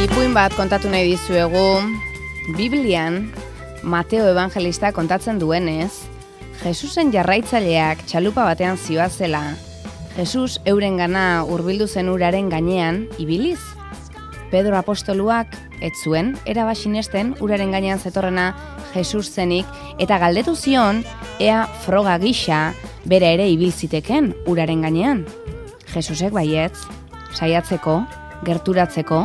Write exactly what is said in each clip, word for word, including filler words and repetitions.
Ipuin bat kontatu nahi dizuegu. Biblian, Mateo evangelista kontatzen duenez, Jesusen jarraitzaileak txalupa batean zihoazela. Jesus eurengana hurbildu zen uraren gainean ibiliz. Pedro apostoluak ez zuen eraba sinesten uraren gainean zetorrena Jesus zenik eta galdetu zion ea froga gisa bera ere ibil ziteken uraren gainean. Jesusek baietz, saiatzeko, gerturatzeko,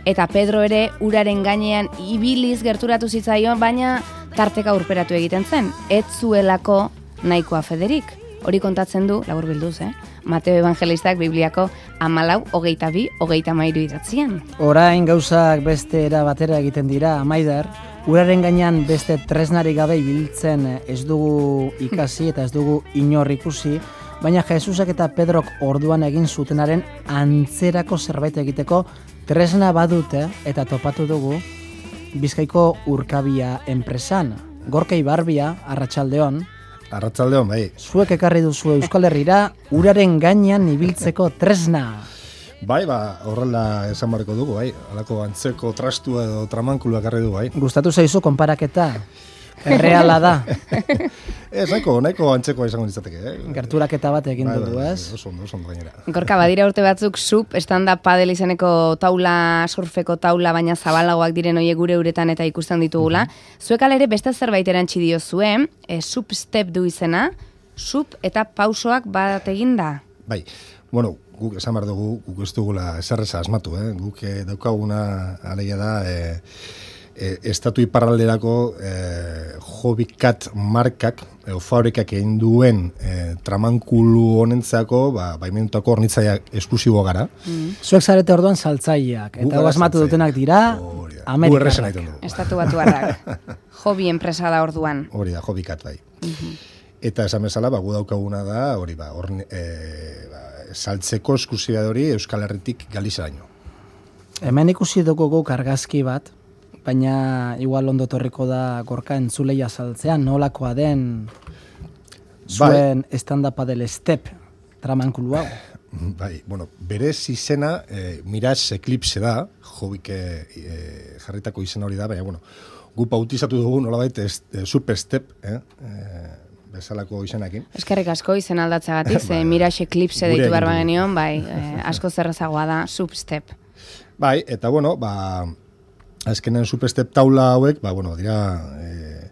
eta Pedro ere uraren gainean ibiliz gerturatu zitzaion, baina tarteka urperatu egiten zen. Ez zuelako nahikoa federik. Hori kontatzen du, laburbilduz, eh? Mateo evangelistak Bibliako hamalau, hogeita bi, hogeita hamairu idatzian. Orain gauzak beste era batera egiten dira, Maider. Uraren gainean beste tresnarik gabe ibiltzen ez dugu ikasi eta ez dugu inor ikusi, baina Jesusak eta Pedrok orduan egin zutenaren antzerako zerbait egiteko tresna badute eta topatu dugu Bizkaiko Urkabia enpresan. Gorka Ibarbia, arratsaldeon. Arratsaldeon, bai. Zuek ekarri duzu Euskal Herrira uraren gainean ibiltzeko tresna. Bai, ba, horrela esan barriko dugu, bai. Halako antzeko trastua edo tramankulua ekarri du, bai. Gustatu zaizu konparaketa? Erreala da. Ez, nahiko, nahiko antzekoa izango ditzateke, eh? Gerturaketa bat egin bai, dugu, bai, ez? Oso ondo, oso ondo gainera. Gorka, badira urte batzuk sup, stand-up padel izeneko taula, surfeko taula, baina zabalagoak diren hoiek gure uretan eta ikusten ditugula. Mm-hmm. Zuek alere beste zerbait erantzi dio zuen, e, sup step du izena, sup eta pausoak bat eginda. Bai, bueno, guk esan behar dugu, guk ez dugula eserreza asmatu, eh? Guk eh, daukaguna alegia da, eh, E, estatu iparralderako e, Hobbycat markak e, fabrikak egin duen e, tramankulu honentzako ba, baimendutako hornitzaia esklusibo gara. Mm. Zuek zarete orduan saltzaileak, eta asmatu dutenak dira Amerikarrak. Estatu batuarrak. Hobby enpresa da orduan. Hori da, Hobbycat bai. Mm-hmm. Eta esan bezala, ba, gu daukaguna da, hori ba, orne, e, ba, saltzeko esklusiba hori Euskal Herritik Galizaraino. Hemen ikusi dugu guk argazki bat, baina igual ondo torriko da Gorka entzuleia saltzean, nolakoa den zuen bai. Stand-up del step tramankulu hau. Bai, bueno, berez izena eh, Mirage Eclipse da, jobik eh, jarritako izena hori da, baina, bueno, gu bautizatu dugu nolabait eh, super step, eh, eh, bezalako izenakin. Eskerrik asko izen aldatzagatik, ze Mirage Eclipse deitu behar bagenion, bai, eh, asko zerrezagoa da, sub step. Bai, eta bueno, ba, azkenen superstep taula hauek, ba, bueno, dira, e,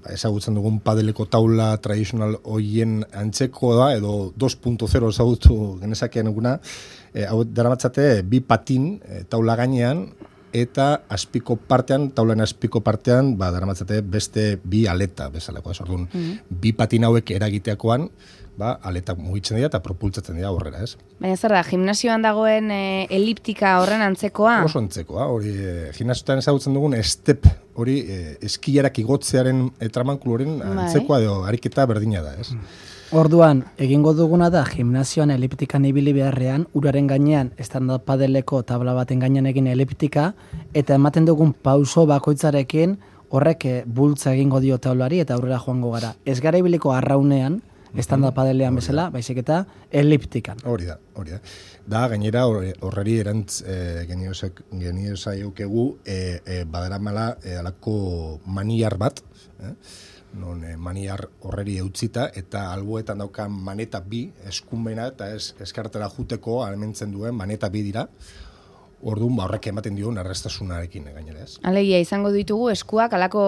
ba, ezagutzen dugun padeleko taula tradizional hoien antzeko da, edo dos punto cero ezagutu genezakean eguna, e, hau daramatzate bi patin e, taula gainean, eta azpiko partean, taulan azpiko partean, ba, daramatzate beste bi aleta bezalako. Ez orduan, mm-hmm. bi patin hauek eragiteakoan, ba, aletak mugitzen dira eta propultzatzen dira horrela, ez? Baina zer da, gimnasioan dagoen e, eliptika horren antzekoa? Oso antzekoa, hori e, gimnasioetan ezagutzen dugun step, hori e, eskiarak igotzearen e, tramankuluren antzekoa edo ariketa berdina da, ez? Orduan, egingo duguna da gimnasioan eliptikan ibili beharrean, uraren gainean, stand-up padeleko tabla baten gainean egin eliptika, eta ematen dugun pauso bakoitzarekin horrek e, bultza egingo dio taulari eta aurrera joango gara. Ez gara ibiliko arraunean, stand-up padelean bezala, baizik eta eliptikan. Hori da, hori da. Da, gainera, horreri erantz e, geniozaikegu e, e, badaramala e, alako maniar bat, eh? non e, maniar horreri eutzita, eta alboetan daukan maneta bi, eskumena eta ez eskartera juteko alementzen duen maneta bi dira. Orduan, ba, horrek ematen dio erraztasunarekin gainera, ez? Alegia, izango ditugu eskuak alako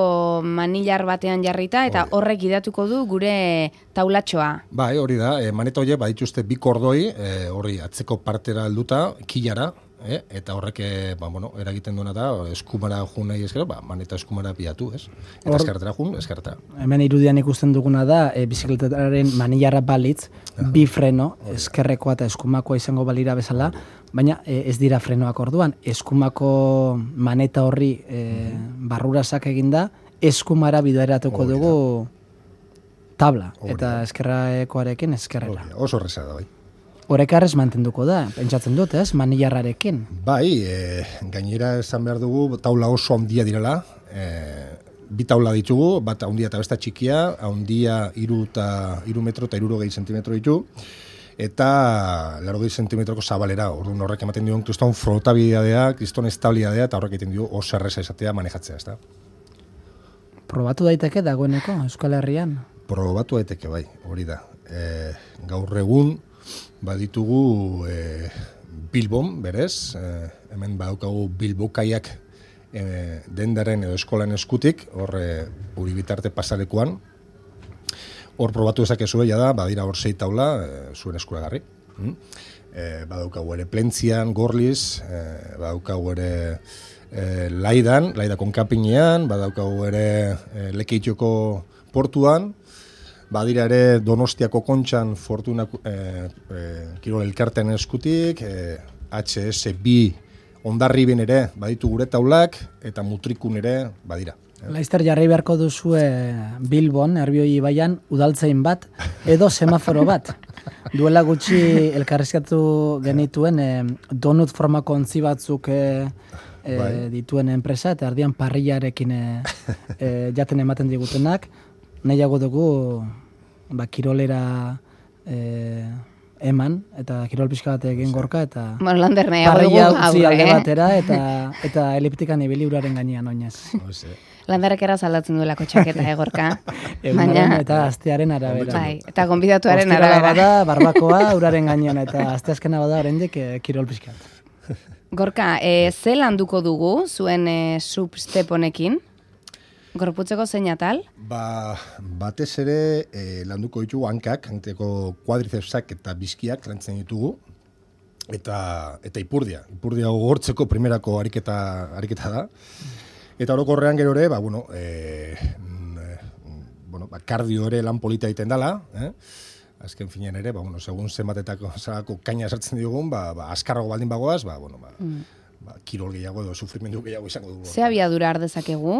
manillar batean jarrita eta horrek idatuko du gure taulatxoa. Bai, hori da, e, maneta horiek badituzte bi kordoi, e, hori atzeko partera helduta, kilara, e, eta horrek e, ba, bueno, eragiten duena da, eskumara jun nahi ezkero, ba, maneta eskumara pilatu, ez? Eta Or, eskartera jun, eskartera. Hemen irudian ikusten duguna da, e, bizikletaren manillarra balitz, ja. Bi freno, eskerrekoa eta eskumakoa izango balira bezala, baina e, ez dira frenoak orduan, eskumako maneta horri e, barrurasak eginda, eskumara bideratuko dugu tabla, Orida. Eta eskerrakoarekin eskerrera. Orida. Oso horreza da, bai. Horekarrez mantenduko da, pentsatzen dut, ez, manillarrarekin. Bai, e, gainera esan behar dugu, taula oso handia direla, e, bi taula ditugu, bat handia eta besta txikia, handia iru, ta, iru metro eta irurogei zentimetro ditu, eta laurogei zentimetroko zabalera, orduan horrek ematen dion kriston flotabilidadea, kriston estabilidadea, eta horrek egiten dio oso erreza izatea manejatzea, ez da? Probatu daiteke dagoeneko Euskal Herrian? Probatu daiteke bai, hori da. E, gaur egun baditugu e, Bilbon, berez, e, hemen badaukagu Bilbokaiak e, dendaren edo eskolan eskutik, hor e, uri bitarte pasalekuan, hor probatu ezakezu ja da, badira hor sei taula, e, zuen eskuragarri. Mm? E, badaukagu ere Plentzian, Gorliz, e, badaukagu ere e, Laidan, Laidakon kanpinean, badaukagu ere e, Lekeitioko portuan, badira ere Donostiako Kontxan Fortuna e, e, Kirol elkartean eskutik, e, H S bi Hondarriben ere baditu gure taulak, eta Mutrikun ere badira. Laizter jarri beharko duzue Bilbon, Erbioi ibaian, udaltzain bat, edo semaforo bat. Duela gutxi elkarrizkatu genituen e, donut formako ontzi batzuk e, e, bai. dituen enpresa, eta erdian parrillarekin e, e, jaten ematen digutenak, nahiago dugu ba, kirolera e, eman, eta kirol pixka bat egin gorka, eta bueno, Lander nahiago dugu parrilla utzi alde eh? batera, eta, eta eliptikan ibili uraren gainean oinez. Landarek eraz aldatzen duelako txaketa egorka. Baina eta astearen arabera. Bai, eta gonbidatuaren arabera. Bada, barbakoa uraren gainean, eta asteazkena bada oraindik e, kirol pixkat. Gorka, e, ze landuko dugu zuen e, substep honekin? Gorputzeko zein atal? Ba, batez ere e, landuko ditugu hankak, hankeko kuadricepsak eta bizkiak lantzen ditugu, eta eta ipurdia. Ipurdia gogortzeko primerako ariketa, ariketa da. Eta orokorrean gero ere, ba, bueno, e, bueno, ba, kardio ere lan polita egiten dela, eh? Azken finean ere, ba, bueno, segun zenbatetako zalako kaina sartzen diogun, ba, ba, askarrago baldin bagoaz, ba, bueno, ba, mm. ba, kirol gehiago edo sufrimendu gehiago izango dugu. Ze abiadura har dezakegu?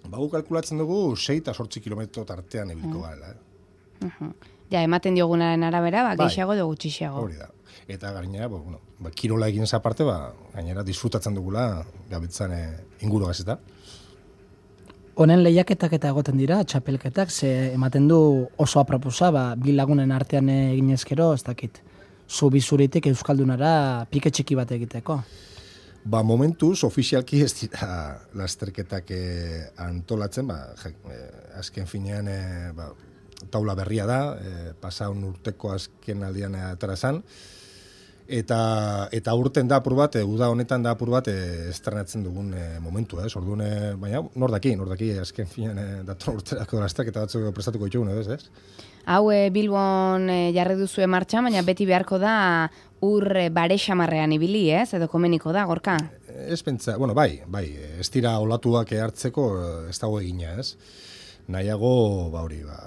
Ba, gu kalkulatzen dugu sei eta zortzi kilometro tartean ebiliko mm. gara. Eh? Uh-huh. Ja, ematen diogunaren arabera, ba, gehiago edo gutxiago. Hori da. Eta gainera, ba, bueno, ba, kirola egin aparte, ba, gainera disfrutatzen dugula gabitzan e, inguru gazeta. Honen lehiaketak eta egoten dira, txapelketak, ze ematen du oso aproposa, ba, bi lagunen artean egin ezkero, ez dakit, zu bizuritik Euskaldunara pike txiki bat egiteko. Ba, momentuz, ofizialki ez dira lasterketak e, antolatzen, ba, e, azken finean e, ba, taula berria da, e, pasaun urteko azken aldian atarazan, eta eta urten da apur bat, e, uda honetan da apur bat e, estrenatzen dugun e, momentu, ez? Orduan, e, baina nor daki, nor daki azken finean e, dator urterako lasterketa batzuk prestatuko ditugun, ez, ez? Hau e, Bilbon e, jarri duzue martxan, baina beti beharko da ur e, bare xamarrean ibili, ez? Edo komeniko da, Gorka? Ez pentsa, bueno, bai, bai, ez dira olatuak hartzeko ez dago egina, ez? Nahiago, ba hori, ba,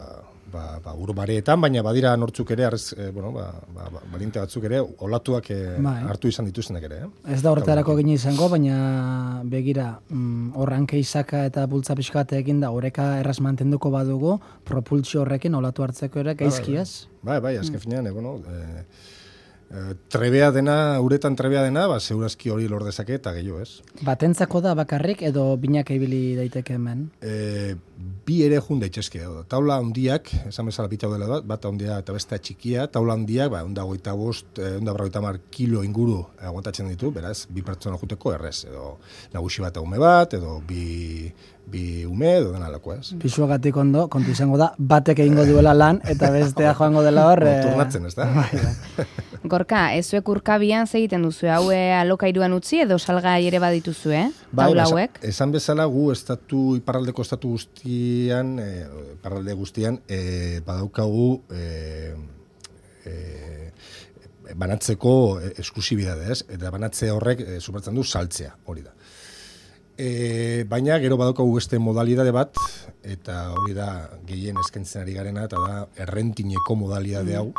ba, ba ur bareetan, baina badira nortzuk ere, arrez, e, bueno, ba, ba, ba, balinte batzuk ere, olatuak e, bai. hartu izan dituztenak ere, eh? Ez da horretarako gine izango, baina begira, mm, horranke izaka eta bultza pixkate egin da, horreka erraz mantenduko badugu, propultsio horrekin olatu hartzeko ere, gaizkiaz? Bai, bai, bai, azken mm. finean, e, bueno, e, e, trebea dena, uretan trebea dena, ba, segurazki hori lor dezake eta gehiago, ez? Batentzako da bakarrik edo binak ibili daiteke hemen? E, bi ere jun daitezke. Taula handiak, esan bezala bitau dela bat, bat handia eta beste txikia, taula handiak, ba, onda goita bost, onda berroita mar kilo inguru aguantatzen ditu, beraz, bi pertsona juteko errez, edo nagusi bat ume bat, edo bi, bi ume, edo dena lako, ez? Pisuagatik ondo, kontu izango da, batek egingo duela lan, eta bestea joango dela hor... E... Turnatzen, ez da? Gorka, ezuek urkabian zegiten duzu, hau alokairuan utzi edo salgai ere badituzu, eh? Taula hauek? Esan, esan bezala gu estatu, iparraldeko estatu guztian, e, iparralde guztian, e, badaukagu e, e, banatzeko esklusibidade, ez? Eta banatze horrek e, supertzen du saltzea, hori da. E, baina gero badaukagu beste modalidade bat, eta hori da gehien eskaintzen ari garena, eta da errentineko modalidade hau.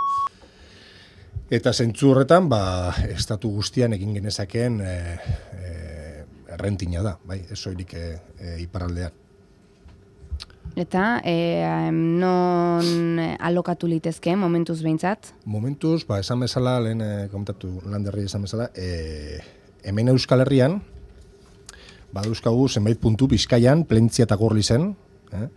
Eta zentzu horretan, ba, estatu guztian egin genezakeen e, e, errentina da, bai, ez soilik e, e, iparraldean. Eta e, non alokatu litezke, momentuz behintzat? Momentuz, ba, esan bezala, lehen e, komentatu Landerri esan bezala, e, hemen Euskal Herrian, badauzkagu zenbait puntu Bizkaian, Plentzia eta Gorlizen, eh?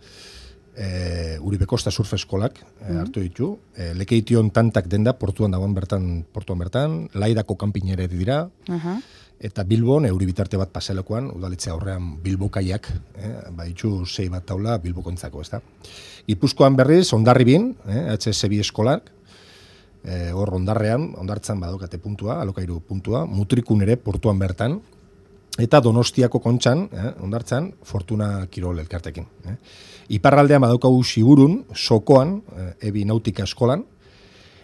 e, Uribe Kosta surf eskolak e, hartu ditu, e, Lekeition tantak denda, portuan dagoen bertan, portuan bertan, Laidako kanpinere dira, Aha. eta Bilbon, euri bitarte bat paselekoan, udalitzea aurrean Bilbokaiak, eh, baditu sei bat taula Bilbokontzako, ez da. Gipuzkoan berriz, Hondarribin, eh, H S bi eskolak, eh, hor Hondarrean, Hondartzan badokate puntua, alokairu puntua, Mutrikun ere portuan bertan, eta Donostiako Kontxan, eh, Hondartzan, Fortuna Kirol elkartekin. Eh. Iparraldean badaukagu Siburun, Sokoan, eh, Ebi Nautika eskolan,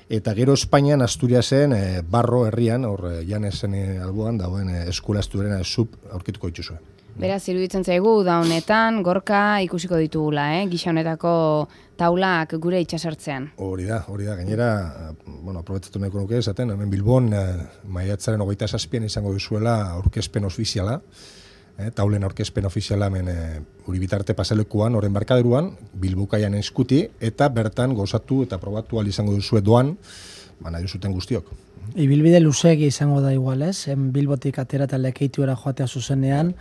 eta gero Espainian Asturiasen e, Barro herrian, hor e, Janesen e, alboan dagoen e, eskola esturena sub aurkituko dituzue. Beraz, iruditzen zaigu, da honetan, gorka ikusiko ditugula, eh? Gisa honetako taulak gure itxasertzean. Hori da, hori da, gainera, bueno, aprobetzatu nahiko nuke esaten, hemen Bilbon, e, maiatzaren hogeita zazpian izango duzuela aurkezpen ofiziala, eh, taulen aurkezpen ofiziala hemen e, Uribitarte paselekuan, oren barkaderuan, Bilbokaian eskuti, eta bertan gozatu eta probatu ahal izango duzue doan, ba, nahi zuten guztiok. Ibilbide luzeegi izango da igual, ez? En Bilbotik atera eta Lekeitiora joatea zuzenean,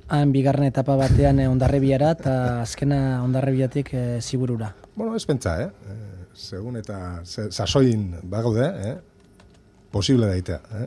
han bigarren etapa batean eh, Hondarribiara eta azkena Hondarribiatik eh, Ziburura. Bueno, ez pentsa, eh? eh segun eta se, sasoin bagaude, eh? Posible daitea, eh?